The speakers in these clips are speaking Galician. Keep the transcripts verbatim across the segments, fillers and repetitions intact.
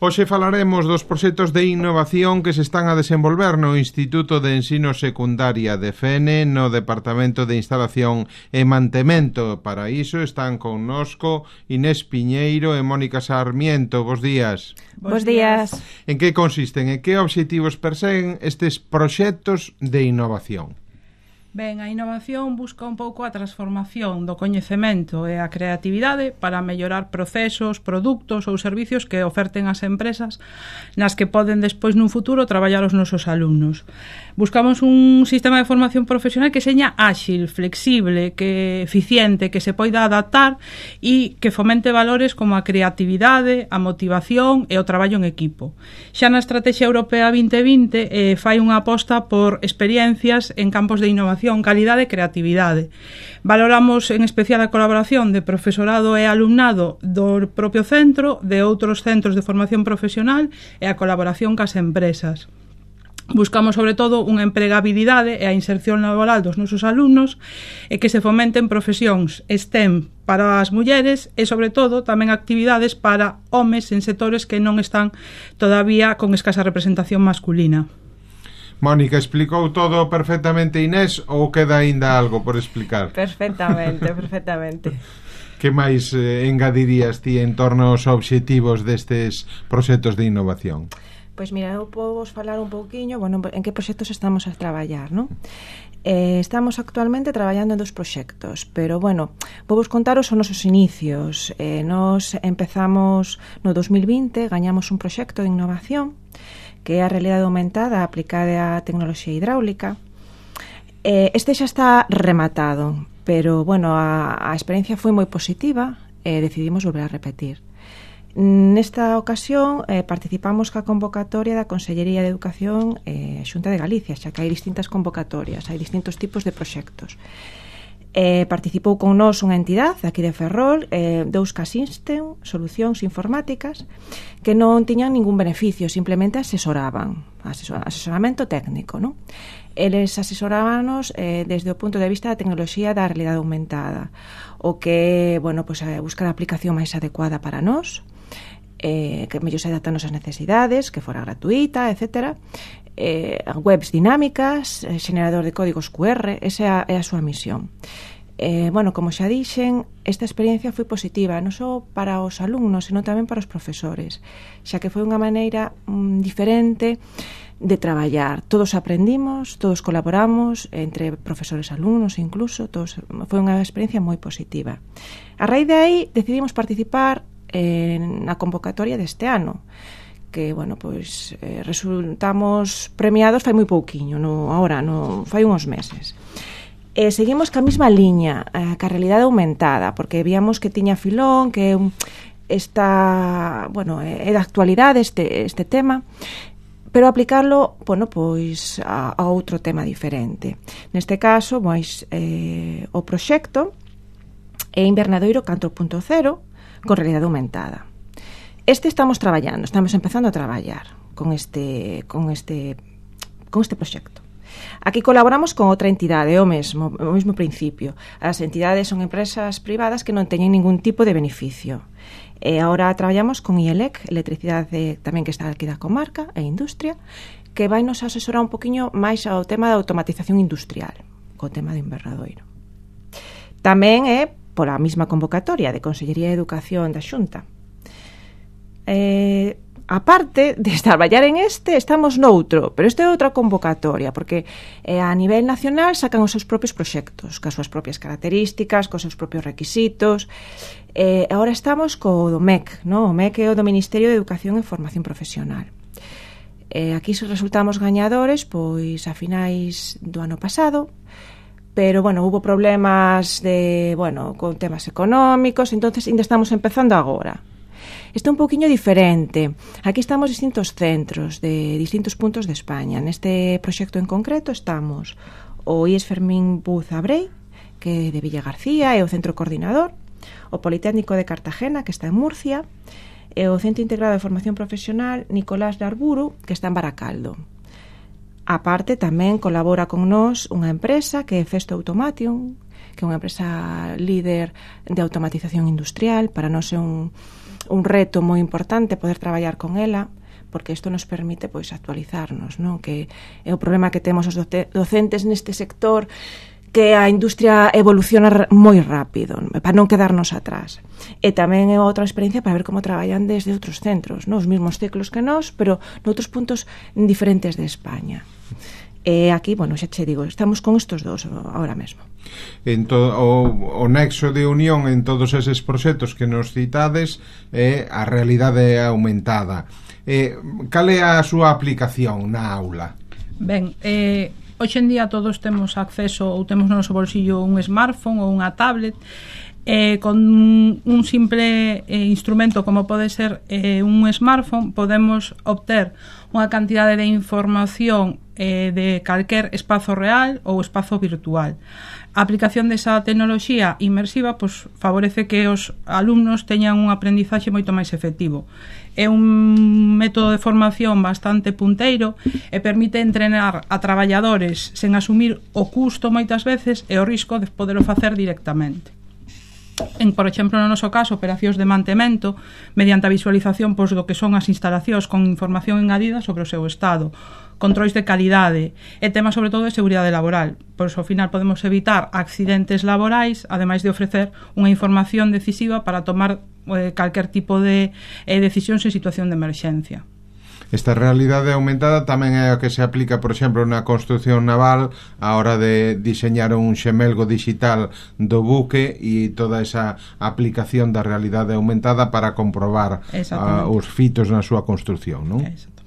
Hoxe falaremos dos proxectos de innovación que se están a desenvolver no Instituto de Ensino Secundaria de Fene, no Departamento de Instalación e Mantemento. Para iso están connosco Inés Piñeiro e Mónica Sarmiento. Bos días. Bos días. En que consisten e que obxectivos perseguen estes proxectos de innovación? Ben, a innovación busca un pouco a transformación do coñecemento e a creatividade para mellorar procesos, produtos ou servicios que oferten as empresas nas que poden despois nun futuro traballar os nosos alumnos. Buscamos un sistema de formación profesional que seña áxil, flexible, que eficiente, que se poida adaptar e que fomente valores como a creatividade, a motivación e o traballo en equipo. Xa na Estrategia Europea vinte vinte eh, fai unha aposta por experiencias en campos de innovación, calidade e creatividade. Valoramos en especial a colaboración de profesorado e alumnado do propio centro, de outros centros de formación profesional e a colaboración cas empresas. Buscamos, sobre todo, unha empregabilidade e a inserción laboral dos nosos alumnos e que se fomenten profesións STEM para as mulleres e, sobre todo, tamén actividades para homes en sectores que non están todavía con escasa representación masculina. Mónica, explicou todo perfectamente Inés ou queda aínda algo por explicar? Perfectamente, perfectamente. Que máis eh, engadirías ti en torno aos obxectivos destes proxectos de innovación? Pois mira, eu podo vos falar un pouquiño, bueno, en que proxectos estamos a traballar, non? Eh, estamos actualmente traballando en dos proxectos, pero, bueno, vou vos contar os nosos inicios. Eh, nos empezamos no dos mil vinte, gañamos un proxecto de innovación que é a realidade aumentada aplicada á tecnoloxía hidráulica. Eh, este xa está rematado, pero, bueno, a, a experiencia foi moi positiva e decidimos volver a repetir. Nesta ocasión eh, participamos ca convocatoria da Consellería de Educación e eh, Xunta de Galicia, xa que hai distintas convocatorias, hai distintos tipos de proxectos. Eh, participou con nós unha entidade aquí de Ferrol, eh, Deuska System, Solucións Informáticas, que non tiñan ningún beneficio, simplemente asesoraban, asesor, asesoramento técnico, non? Eles asesorábanos eh, desde o punto de vista da tecnoloxía da realidade aumentada, o que, bueno, pues, eh, buscar a aplicación máis adecuada para nós, eh, que mellor se adaptan nosas necesidades, que fora gratuita, etcétera, eh, webs dinámicas, eh, generador de códigos cu erre, esa é a súa misión. Eh, bueno, como xa dixen, esta experiencia foi positiva non só para os alumnos, senón tamén para os profesores, xa que foi unha maneira mm, diferente de traballar. Todos aprendimos, todos colaboramos, entre profesores e alumnos incluso, todos, foi unha experiencia moi positiva. A raíz de aí decidimos participar en a convocatoria deste ano, que, bueno, pois eh, resultamos premiados fai moi pouquiño, no, ahora, no, fai uns meses. Eh, seguimos ca mesma liña, eh, ca realidade aumentada, porque víamos que tiña filón, que esta, bueno, é da actualidade este, este tema, pero aplicarlo, bueno, pois a, a outro tema diferente. Neste caso, pois, eh, o proxecto é Invernadoiro catro punto cero con realidade aumentada. Este estamos traballando, estamos empezando a traballar con este con este con este proxecto. Aquí colaboramos con outra entidade, o mesmo, o mesmo principio. As entidades son empresas privadas que non teñen ningún tipo de beneficio. E agora traballamos con I E L E C, Electricidade tamén que está aquí da comarca, e Industria, que vai nos asesorar un poquinho máis ao tema da automatización industrial, co tema do Invernadoiro. Tamén é pola mesma convocatoria de Consellería de Educación da Xunta. Eh, aparte de traballar en este, estamos noutro, pero este é outra convocatoria, porque eh, a nivel nacional sacan os seus propios proxectos, cas súas propias características, cos seus propios requisitos. Eh, agora estamos co do M E C, no? O M E C é o do Ministerio de Educación e Formación Profesional. Eh, aquí resultamos gañadores, pois a finais do ano pasado, pero, bueno, hubo problemas de, bueno, con temas económicos, entonces ainda estamos empezando agora. Isto é un poquinho diferente. Aquí estamos distintos centros de distintos puntos de España. Neste proxecto en concreto estamos o I E S Fermín Buz Abrei, que é de Villa García, é o centro coordinador, o Politécnico de Cartagena, que está en Murcia, e o Centro Integrado de Formación Profesional Nicolás de Arburu, que está en Baracaldo. A parte, tamén colabora con nós unha empresa que é Festo Automation, que é unha empresa líder de automatización industrial. Para nós é un, un reto moi importante poder traballar con ela, porque isto nos permite pois actualizarnos, non? Que é o problema que temos os docentes neste sector, que a industria evoluciona moi rápido, para non quedarnos atrás. E tamén é outra experiencia para ver como traballan desde outros centros, non? Os mesmos ciclos que nós, pero noutros puntos diferentes de España. E aquí, bueno, xa che digo, estamos con estos dos ahora mesmo. En to, o, o nexo de unión en todos eses proxectos que nos citades é a realidade aumentada. Eh, cal é a súa aplicación na aula? Ben, eh, hoxe en día todos temos acceso ou temos no noso bolsillo un smartphone ou unha tablet, eh, con un simple eh, instrumento como pode ser eh, un smartphone podemos obter unha cantidade de información eh, de calquer espazo real ou espazo virtual. A aplicación desa tecnoloxía inmersiva pues, favorece que os alumnos teñan un aprendizaxe moito máis efectivo. É un método de formación bastante punteiro e permite entrenar a traballadores sen asumir o custo moitas veces e o risco de poderlo facer directamente. En, por exemplo, no noso caso, operacións de mantemento mediante a visualización pois, do que son as instalacións con información engadida sobre o seu estado, controis de calidade e temas sobre todo de seguridade laboral. Por iso, ao final, podemos evitar accidentes laborais, ademais de ofrecer unha información decisiva para tomar eh, calquer tipo de eh, decisións en situación de emerxencia. Esta realidade aumentada tamén é a que se aplica, por exemplo, na construción naval a hora de diseñar un xemelgo digital do buque e toda esa aplicación da realidade aumentada para comprobar uh, os fitos na súa construción, non? Exactamente.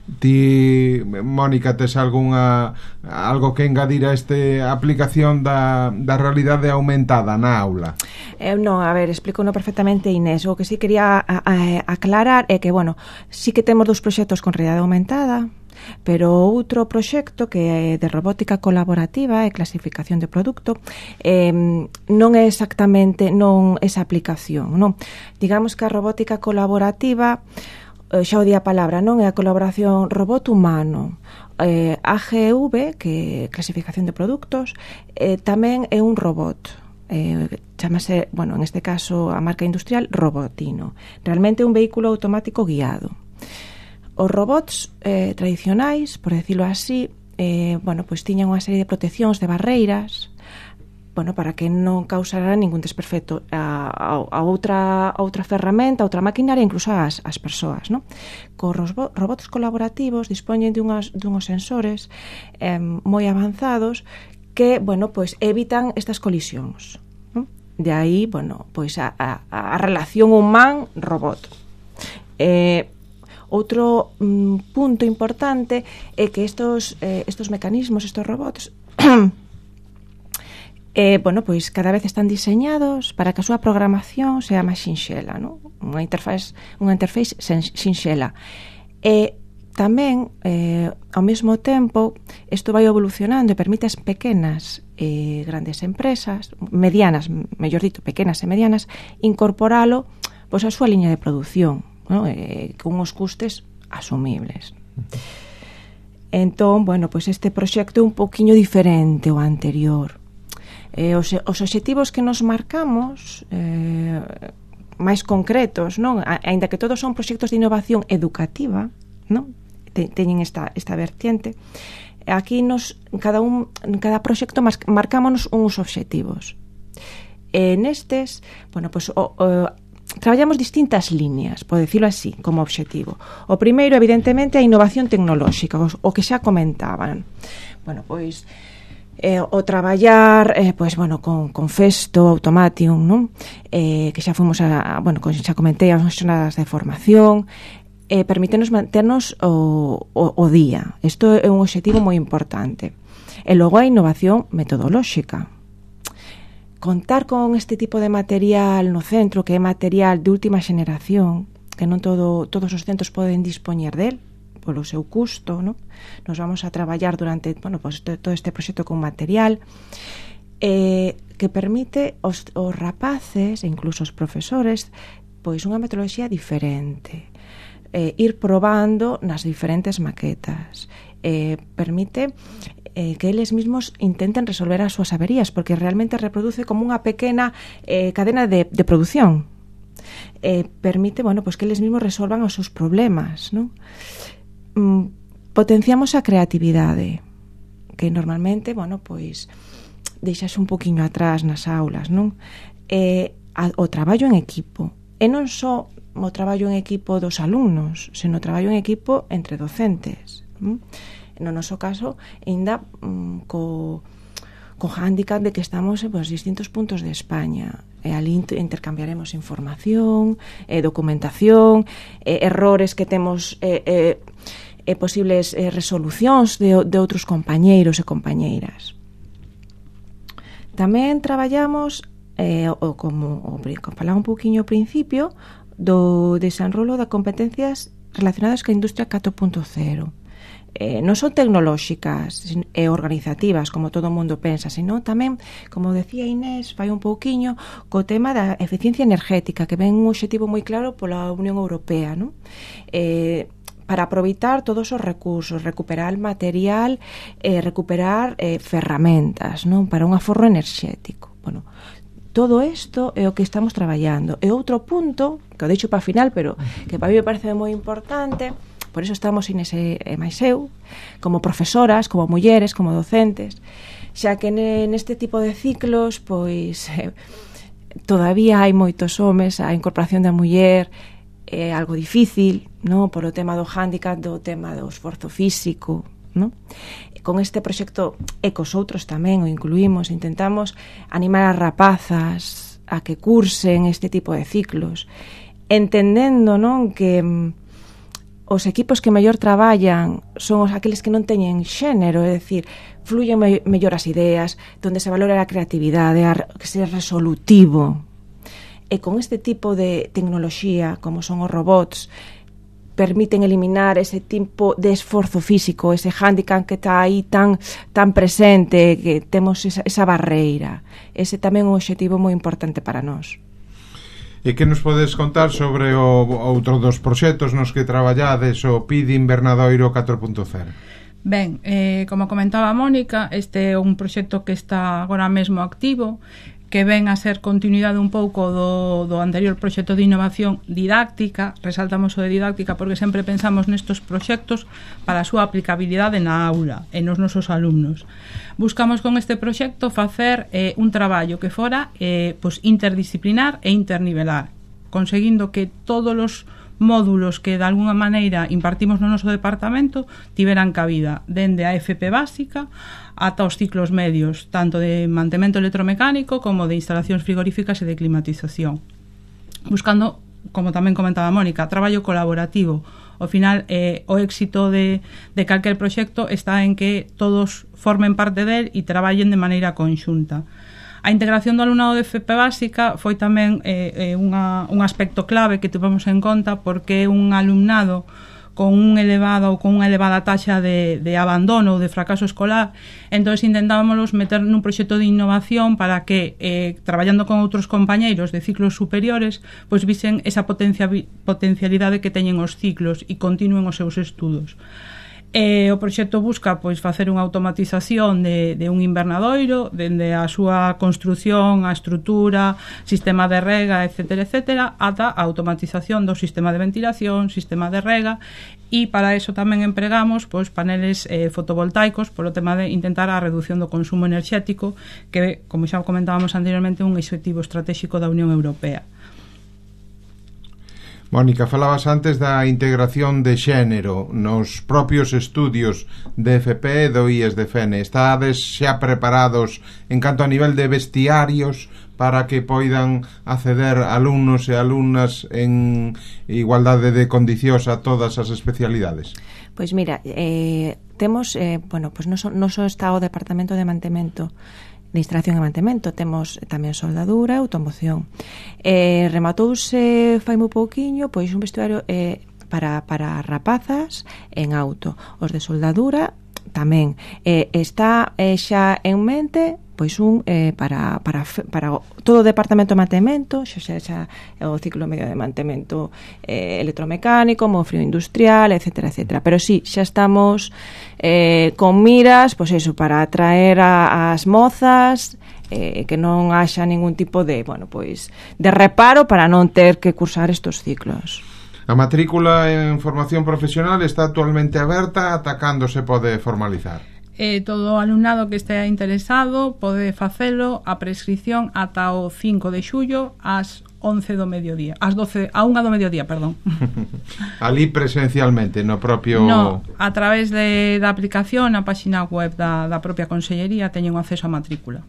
Ti, Mónica, tes algunha algo que engadir a este aplicación da, da realidade aumentada na aula? Eh, non, a ver, explico no perfectamente Inés. O que sí quería a, a, aclarar é que, bueno, sí que temos dous proxectos con realidade aumentada, pero outro proxecto que é de robótica colaborativa e clasificación de produto eh, non é exactamente non esa aplicación, non? Digamos que a robótica colaborativa, xa o di a palabra, non? É a colaboración robot-humano. Eh, A G V, que é clasificación de produtos, eh, tamén é un robot. Eh, chamase, bueno, en este caso a marca industrial Robotino. Realmente é un vehículo automático guiado. Os robots eh, tradicionais, por decirlo así, eh, bueno, pois tiñan unha serie de proteccións, de barreiras, bueno, para que non causara ningún desperfecto a, a, a outra a outra ferramenta, a outra maquinaria, incluso as, as persoas, non? Cos robots colaborativos dispoñen de unhas, de unhos sensores eh, moi avanzados que, bueno, pois evitan estas colisións, non? De aí, bueno, pois a, a, a relación humán-robot. Eh, outro mm, punto importante é que estos, eh, estos mecanismos, estos robots Eh, bueno, pois cada vez están diseñados para que a súa programación sea máis sinxela, non? Unha interface, unha interface sinxela. E tamén, eh, ao mesmo tempo, isto vai evolucionando e permite as pequenas e grandes empresas, medianas, mellor dito, pequenas e medianas, incorporalo pois a súa liña de produción, non? Eh, con uns custes asumibles. Entón, bueno, pois este proxecto é un poquinho diferente ao anterior. Eh, os, os obxectivos que nos marcamos eh, máis concretos, non? A, ainda que todos son proxectos de innovación educativa, non? Te, teñen esta, esta vertiente. Aquí nos, cada un, cada proxecto mas, marcámonos uns obxectivos. E nestes, bueno, pues, o, o, traballamos distintas líneas, por decirlo así, como obxectivo. O primeiro, evidentemente, a innovación tecnolóxica, o, o que xa comentaban. Bueno, pois Eh, o traballar eh, pois, bueno, con, con Festo, Automatium, non? Eh, que xa fomos a, bueno, xa comentei as xornadas de formación, eh, permítenos manternos o, o, o día. Isto é un obxectivo moi importante. E logo a innovación metodolóxica. Contar con este tipo de material no centro, que é material de última xeneración, que non todo, todos os centros poden dispoñer del, polo seu custo, ¿no? Nos vamos a traballar durante, bueno, pues, todo este proxecto con material eh, que permite os, os rapaces e incluso os profesores pois unha metodoloxía diferente, eh, ir probando nas diferentes maquetas, eh, permite eh, que eles mismos intenten resolver as súas averías, porque realmente reproduce como unha pequena eh, cadena de, de produción. eh, permite, bueno, pues que eles mesmos resolvan os seus problemas, non? Mm, potenciamos a creatividade, que normalmente, bueno, pois deixase un poquinho atrás nas aulas, non? Eh, a, o traballo en equipo, e non só o traballo en equipo dos alumnos, senón o traballo en equipo entre docentes. ¿Mm? No noso caso, ainda mm, co, co hándicap de que estamos en pues, distintos puntos de España, e ali intercambiaremos información, eh, documentación, eh, errores que temos, eh, eh, eh, posibles eh, resolucións de, de outros compañeiros e compañeiras. Tamén traballamos eh, o, como, o, como falaba un pouquiño ao principio, do desenrolo de competencias relacionadas ca industria catro punto cero. Eh, non son tecnolóxicas e organizativas, como todo o mundo pensa, senón tamén, como decía Inés, vai un pouquiño co tema da eficiencia energética, que ven un obxectivo moi claro pola Unión Europea, non? Eh, para aproveitar todos os recursos, recuperar material, eh, recuperar eh, ferramentas, non? Para un aforro enerxético. Bueno, todo isto é o que estamos traballando. E outro punto, que o deixo para a final, pero que para mí me parece moi importante, por eso estamos Inés e máis eu, como profesoras, como mulleres, como docentes, xa que neste tipo de ciclos, pois, eh, todavía hai moitos homes, a incorporación da muller é algo difícil, non? Por o tema do hándicap, do tema do esforzo físico, non? Con este proxecto e cos outros tamén o incluímos, intentamos animar as rapazas a que cursen este tipo de ciclos, entendendo, non, que mm, os equipos que mellor traballan son os aqueles que non teñen xénero, é dicir, fluyen me mellor as ideas, donde se valora a creatividade, a que ser resolutivo. E con este tipo de tecnoloxía, como son os robots, permiten eliminar ese tipo de esforzo físico, ese hándicap que está aí tan tan presente, que temos esa, esa barreira. Ese tamén é un obxectivo moi importante para nós. E que nos podes contar sobre o outro dos proxectos nos que traballades, o P I D Invernadoiro catro punto cero? Ben, eh, como comentaba a Mónica, este é un proxecto que está agora mesmo activo, que ven a ser continuidade un pouco do, do anterior proxecto de innovación didáctica. Resaltamos o de didáctica porque sempre pensamos nestos proxectos para a súa aplicabilidade na aula e nos nosos alumnos. Buscamos con este proxecto facer eh, un traballo que fora eh, pues, interdisciplinar e internivelar, conseguindo que todos os módulos que de alguna maneira impartimos no noso departamento tiveran cabida dende a F P básica ata os ciclos medios, tanto de mantemento electromecánico como de instalacións frigoríficas e de climatización, buscando, como tamén comentaba Mónica, traballo colaborativo. Ao final, eh, o éxito de, de calquer proxecto está en que todos formen parte del e traballen de maneira conxunta. A integración do alumnado de F P básica foi tamén eh, unha, un aspecto clave que tivemos en conta, porque é un alumnado con un elevado ou con unha elevada taxa de, de abandono ou de fracaso escolar. Entón intentábamos meter nun proxecto de innovación para que, eh, traballando con outros compañeiros de ciclos superiores, pois visen esa potencia, potencialidade que teñen os ciclos e continúen os seus estudos. E o proxecto busca pois facer unha automatización de, de un invernadoiro, dende a súa construción, a estrutura, sistema de rega, etcétera, etcétera, ata a automatización do sistema de ventilación, sistema de rega, e para eso tamén empregamos pois paneles eh, fotovoltaicos, polo tema de intentar a reducción do consumo enerxético, que, como xa comentábamos anteriormente, é un obxectivo estratégico da Unión Europea. Mónica, falabas antes da integración de xénero nos propios estudios de F P e do I E S de F E N E. Estades xa preparados en canto a nivel de vestiarios para que poidan acceder alumnos e alumnas en igualdade de condicións a todas as especialidades? Pois mira, eh, temos, eh, bueno, pues non só, non só está o Departamento de Mantemento de instalación e mantemento, temos tamén soldadura e automoción. Eh, rematouse fai moi pouquiño pois un vestuario eh, para, para rapazas en auto. Os de soldadura tamén. Eh, está eh, xa en mente pois un eh, para, para, para todo o departamento de mantemento, xa xa, xa o ciclo medio de mantemento eh, electromecánico, mofrio industrial, etcétera, etcétera. Pero sí, xa estamos eh, con miras, pois eso, para atraer a, as mozas, eh, que non haxa ningún tipo de, bueno, pois de reparo para non ter que cursar estos ciclos. A matrícula en formación profesional está actualmente aberta, ata cando se pode formalizar? Eh, todo o alumnado que estea interesado pode facelo a prescripción ata o cinco de xullo ás once do mediodía, ás doce, a unha do mediodía, perdón. Ali presencialmente, no propio... No, a través de, da aplicación, a página web da, da propia Consellería teñen acceso á matrícula.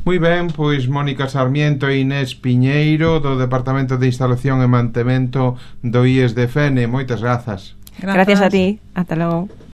Moi ben, pois Mónica Sarmiento e Inés Piñeiro do Departamento de Instalación e Mantemento do I E S de Fene. Moitas grazas. Gracias, Gracias a ti, ata logo.